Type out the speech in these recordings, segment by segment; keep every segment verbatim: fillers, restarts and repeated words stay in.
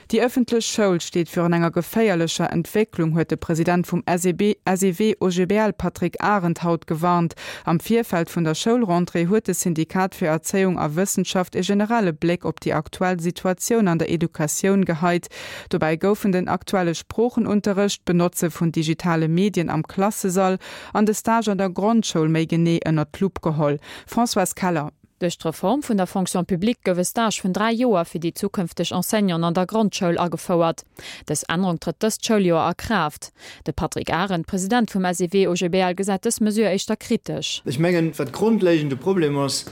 Déi ëffentlech Schoul steet virun enger geféierlecher Entwécklung, huet de President vum SEW-OGBL Patrick Arendt haut gewarnt. Am Virfeld vun der Schoulrentrée huet de Syndikat fir Erzéiung a Wëssenschaft e generelle Bléck op déi aktuell Situatioun an der Educatioun geheit. Dobäi goufen den aktuelle Sproochenunterrecht, d'Benotze vun digitale Medien am Klassesall an de Stage an der Grondschoul méi genee ënnert d'Lupp geholl. Françoise Keller. Duerch d'Reform vun der Fonction publique gouf e Stage vun dräi Joer fir déi zukünfteg Enseignanten an der Grondschoul agefouert. Dës Ännerung trëtt dëst Schouljoer a Kraaft. De Patrick Arendt, President vum SEW-OGBL, gesäit dës Mesure éischter kritesch. Ech mengen, wat grondlegend de Problem ass,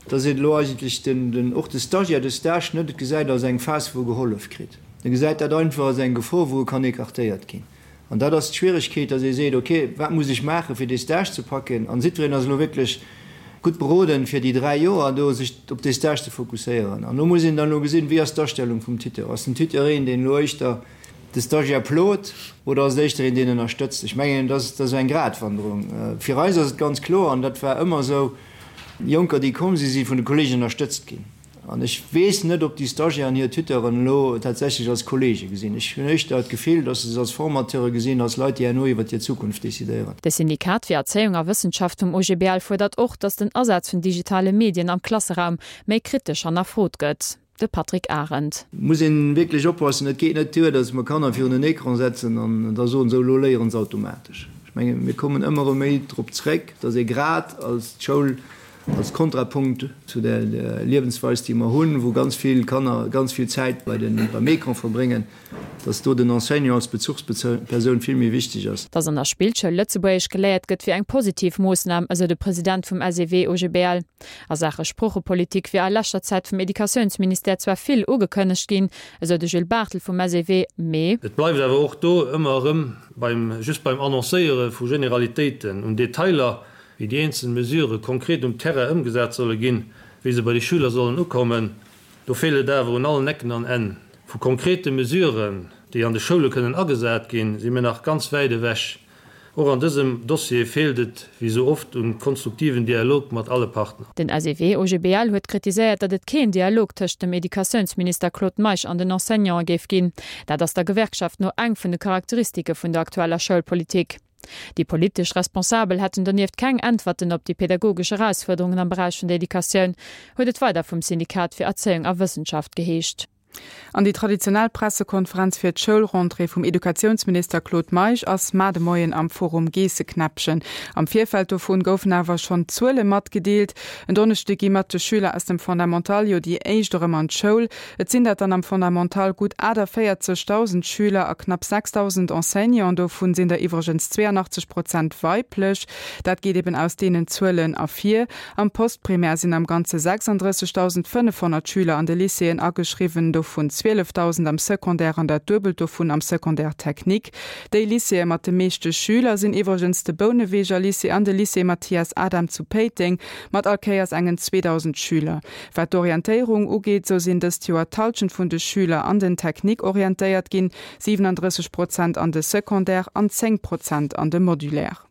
dass een elo eigentlech den, den, och de Stagiaire de Stage net gesäit als eng Phas, wou e gehollef kritt. E gesäit dat einfach als eng Gefor, wou e kann écartéiert ginn. An dat ass d'Schwieregkeet, dass ee seet, okay, wat muss ech maachen, fir dee Stage ze packen? An jiddwereen ass elo wierklech gutt beroden, fir déi dräi Joer do sech op dee Stage ze fokusséieren. An do muss een dann elo gesinn, wéi ass d'Astellung vum Tuteur? Ass den Tuteur een, deen elo éischter de Stagiaire plot oder ass et éischter een, deen ënnerstëtzt? Ech mengen, dat ass esou eng Gratwanderung. Fir eis ass et ganz kloer, an dat war ëmmer esou, Jonker, déi komm sinn, si vun de Kollegen ënnerstëtzt ginn. An ech weess net, ob déi Stagiairen hir Tuteuren elo tatsächlech als Kollege gesinn. Ech hunn éischter d'Gefill, datt se se als Formateure gesinn, als Leit, déi herno iwwer hir Zukunft decidéieren. De Syndikat fir Erzéiung a Wëssenschaft vum O G B L fuerdert och, datt den Asaz vun digitale Medien am Klasseraum méi kritesch hannerfrot gëtt. De Patrick Arendt. Muss een wierklech oppassen, et geet net duer, datt mer Kanner virun den Ecran setzen an da soen, sou, elo léieren se automatesch. Ech mengen, mir kommen ëmmer erëm méi drop zréck, datt ee grad als d'Schoul als Kontrapunkt zu der Liewensweis, déi mer hunn, wou ganz vill Kanner ganz vill Zäit bei den, beim Ecran verbréngen, dass do den Enseignant als Bezuchspersoun vill méi wichteg ass. Dass an der Spillschoul Lëtzebuergesch geléiert gëtt, wier eng positiv Moossnam, esou de President vum S E W O G B L. A Saache Sproochepolitik wier a leschter Zäit vum Educatiounsministère zwar vill ugekënnegt ginn, esou de Gilles Barthel vum S E W, mee. Et bleift awer och do ëmmer erëm beim, just beim Annoncéiere vu Generalitéiten. Un Detailer, wéi déi eenzel Mesurë konkret um Terrain ëmgesat solle ginn, wéi se bei de Schüler sollen ukommen, do feelt et awer un allen Ecken an Enn. Vu konkrete Mesuren, déi an de Schoule kënnen agesat ginn, si mir nach ganz wäit ewech. Och an dësem Dossier feelt et, wéi sou oft, un konstruktiven Dialog mat alle Partner. Den S E W O G B L huet kritiséiert, datt et keen Dialog tëscht dem Educatiounsminister Claude Meisch an den Enseignante géif ginn. Dat ass der Gewerkschaft no eng vun de Charakteristike vun der aktueller Schoulpolitik. Déi politesch Responsabel hätten donieft keng Äntwerten op déi pädagogesch Erausfuerderungen am Beräich vun der Educatioun, huet et weider vum Syndikat fir Erzéiung a Wëssenschaft geheescht. An déi traditionell Pressekonferenz fir d'Schoulrentrée vum Educatiounsminister Claude Meisch ass mar de Moien am Forum Geesseknäppchen. Am Virfeld dovun goufen awer schonn Zuele matgedeelt. En Donneschdeg gi mat de Schüler aus dem Fondamental jo déi éischt erëm an d'Schoul. Et sinn dat dann am Fondamental gutt achteviertegdausend Schüler a knapp sechsdausend Enseignanten, dovun sinn der iwwregens zwéianachtzeg Prozent weiblech. Dat geet eben aus deenen Zuelen ervir. Am Postprimaire sinn am Ganze sechsandrëssegdausendfënnefhonnert Schüler an de Lycéeën ageschriwwen, dovun zwielefdausend am Secondaire an dat Duebelt dovun am Secondaire technique. Déi Lycéeë mat de meeschte Schüler sinn iwwregens de Bouneweger Lycée an de Lycée Mathias Adam zu Péiteng mat all Kéiers engen zweedausend Schüler. Wat d'Orientéierung ugeet, sou sinn dëst Joer d'Hallschent vun de Schüler an den Technique orientéiert ginn, siwenandrësseg Prozent an de Secondaire an zéng Prozent an de Modulaire.